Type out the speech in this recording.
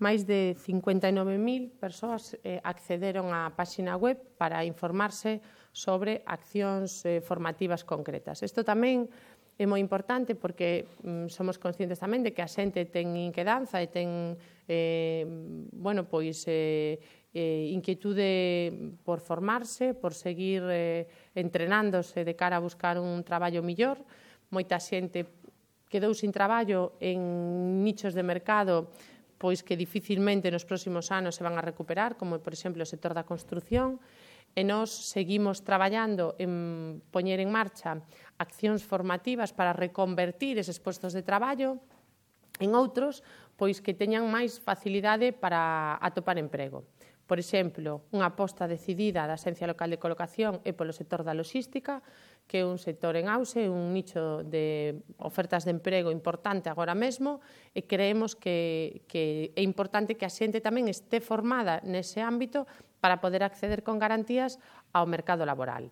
máis de 59.000 persoas accederon á páxina web para informarse sobre accións formativas concretas. Isto tamén é moi importante porque somos conscientes tamén de que a xente ten inquedanza e ten inquietude por formarse, por seguir entrenándose de cara a buscar un traballo millor. Moita xente quedou sin traballo en nichos de mercado pois que dificilmente nos próximos anos se van a recuperar, como, por exemplo, o sector da construción, e nós seguimos traballando en poñer en marcha accións formativas para reconvertir eses postos de traballo en outros pois que teñan máis facilidade para atopar emprego. Por exemplo, unha aposta decidida da Axencia Local de Colocación é polo sector da logística, que é un sector en auxe, un nicho de ofertas de emprego importante agora mesmo, e creemos que é importante que a xente tamén este formada nese ámbito para poder acceder con garantías ao mercado laboral.